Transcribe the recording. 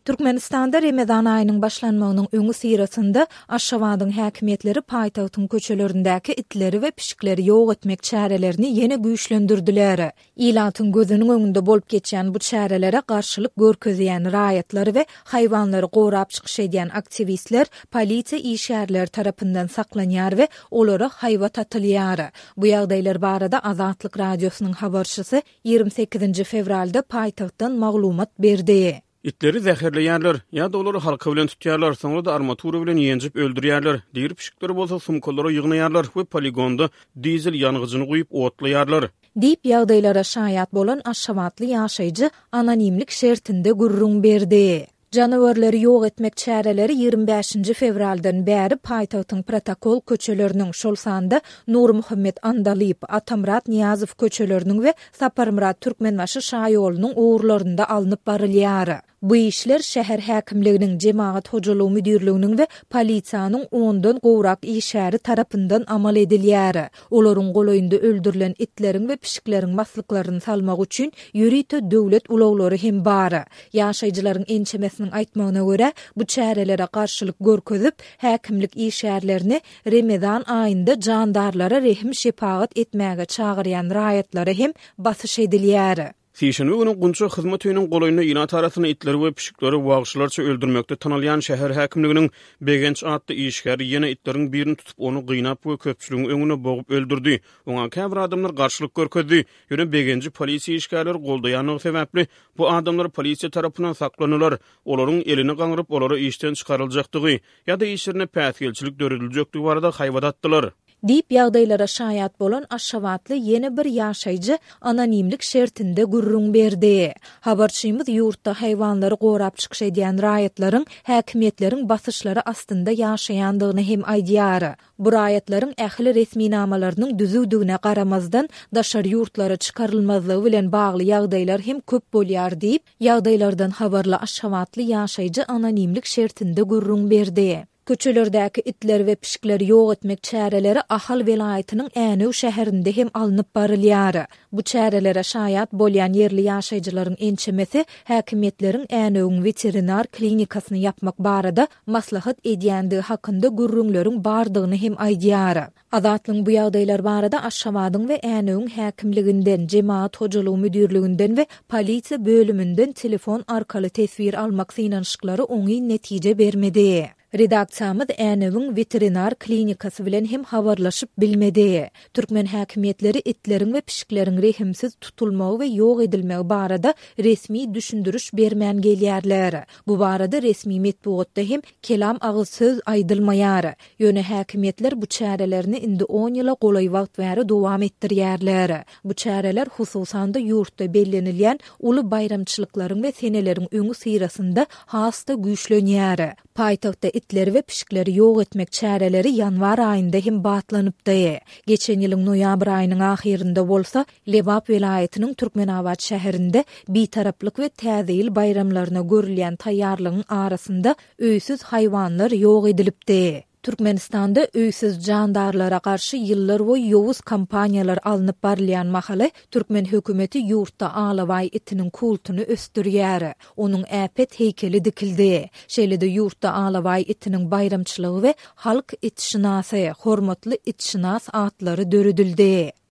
Türkmenistanda Remezan aýynyň başlanmagynyň öňüsyrasynda Aşgabadyň häkimiýetleri paýtagtyň köçelerindäki itleri we pişikleri ýok etmek çärelerini ýene güýçlendirdiler. Ilatyň gözüniň öňünde bolup geçýän bu çärelere garşylyk görkezýän raýatlar we haýwanlary gorap çykyş edýän aktiwistler polisiýa işgärleri tarapyndan saklanýar we olara haýbat atylýar. Bu ýagdaýlar barada Azatlyk Radiosynyň habarçysy 28-nji fewralda paýtagtdan maglumat berdi. Itleri zäherleýärler, ýa-da olary halka bilen tutýarlar, soňra-da armatura bilen ýenjip öldürýärler. Diri pişikleri bolsa sumkalara ýygnaýarlar we poligonda dizel ýangyjyny guýup otlaýarlar. Diýip, ýagdaýlara şaýat bolan aşgabatly ýaşaýjy anonimlik şertinde gürrüň berdi. Janawerleri ýok etmek çäreleri 25-nji fewraldan bäri paýtagtyň protokol köçeleriniň, şol sanda Nurmuhammet Andalyp, Atamyrat Nyýazow köçeleriniň we Saparmyrat Türkmenbaşy şaýolunyň ugurlarynda alnyp barylýar. Bu işler şäher häkimliginiň, jemagat hojalygy müdirliginiň we polisiýanyň ondan gowrak işgäri tarapyndan amal edilýär. Olaryň golaýynda öldürilen itleriň we pişikleriň maslyklaryny salmak üçin ýörite döwlet ulaglary hem bar. Ýaşaýjylaryň ençemesiniň aýtmagyna görä, bu çärelere garşylyk görkezip, häkimlik işgärlerini Remezan aýynda jandarlara rehim-şepagat etmäge çagyrýan raýatlara hem basyş edilýär. Sişenbe güni Gunça hyzmat öýüniň golaýynda ilat arasynda itleri we pişikleri wagşylarça öldürmekde tanalýan şäher häkimliginiň Begenç atly işgäri ýene itleriň birini tutup, ony gynap we köpçüligiň öňünde bogup öldürdi. Oňa käbir adamlar garşylyk görkezdi. Ýöne Begenji polisiýa işgärleri goldaýandygy sebäpli, bu adamlar polisiýa tarapyndan saklandylar. Olaryň elini gaňryp, olara işden çykaryljakdygy ýa-da işlerine päsgelçilik dörediljekdigi barada haýbat atdylar. Diýip, ýagdaýlara şaýat bolan aşgabatly ýene bir ýaşaýjy anonimlik şertinde gürrüň berdi. Habarçymyz ýurtda haýwanlary gorap çykyş edýän raýatlaryň häkimiýetleriň basyşlary astynda ýaşaýandygyny hem aýdýar. Bu raýatlaryň ähli resminamalarynyň düzüwdigine garamazdan, daşary ýurtlara çykarylmazlygy bilen bagly ýagdaýlar hem köp bolýar diýip, ýagdaýlardan habarly aşgabatly ýaşaýjy anonimlik şertinde gürrüň berdi. Köçelerdäki itleri we pişikleri ýok etmek çäreleri Ahal welaýatynyň Änew şäherinde hem alnyp barylýar. Bu çärelere şaýat bolýan ýerli ýaşaýjylaryň ençemesi häkimiýetleriň Änewiň weterinar klinikasyny ýapmak barada maslahat edýändigi hakynda gürrüňleriň bardygyny hem aýdýar. Azatlygyň bu ýagdaýlar barada Aşgabadyň we Änewiň häkimliginden, Jemagat hojalygy müdirliginden we polisiýa bölüminden telefon arkaly teswir almak synanyşyklary oňyn netije bermedi. Redaksiýamyz Änewiň weterinar klinikasy bilen hem habarlaşyp bilmedi. Türkmen häkimiýetleri itleriň we pişikleriň rehimsiz tutulmagy we ýok edilmegi barada resmi düşündiriş bermän gelýärler. Bu barada resmi metbugatda hem kelam agyz söz aýdylmaýar. Ýöne häkimiýetler bu çärelerini indi on ýyla golaý wagt bäri dowam etdirýärler. Bu çäreler hususan-da ýurtda bellenilýän uly baýramçylyklaryň we seneleriň öňüsyrasynda has-da güýçlenýär. Paýtagtda itleri we pişikleri ýok etmek çäreleri ýanwar aýynda hem batlanypdy. Geçen ýylyň noýabr aýynyň ahyrynda bolsa, Lebap welaýatynyň Türkmenabat şäherinde Bitaraplyk we Täze ýyl baýramlaryna görülýän taýýarlygyň arasynda öýsüz haýwanlar ýok edilipdi. Türkmenistanda öýsüz jandarlara garşy ýyllarboýy ýowuz kampaniýalar alnyp barylýan mahaly, türkmen hökümeti ýurtda alabaý itiniň kultuny ösdürýär. Onuň äpet heýkeli dikildi. Şeýle-de ýurtda alabaý itiniň baýramçylygy we halk itşynasy, hormatly itşynas atlary döredildi.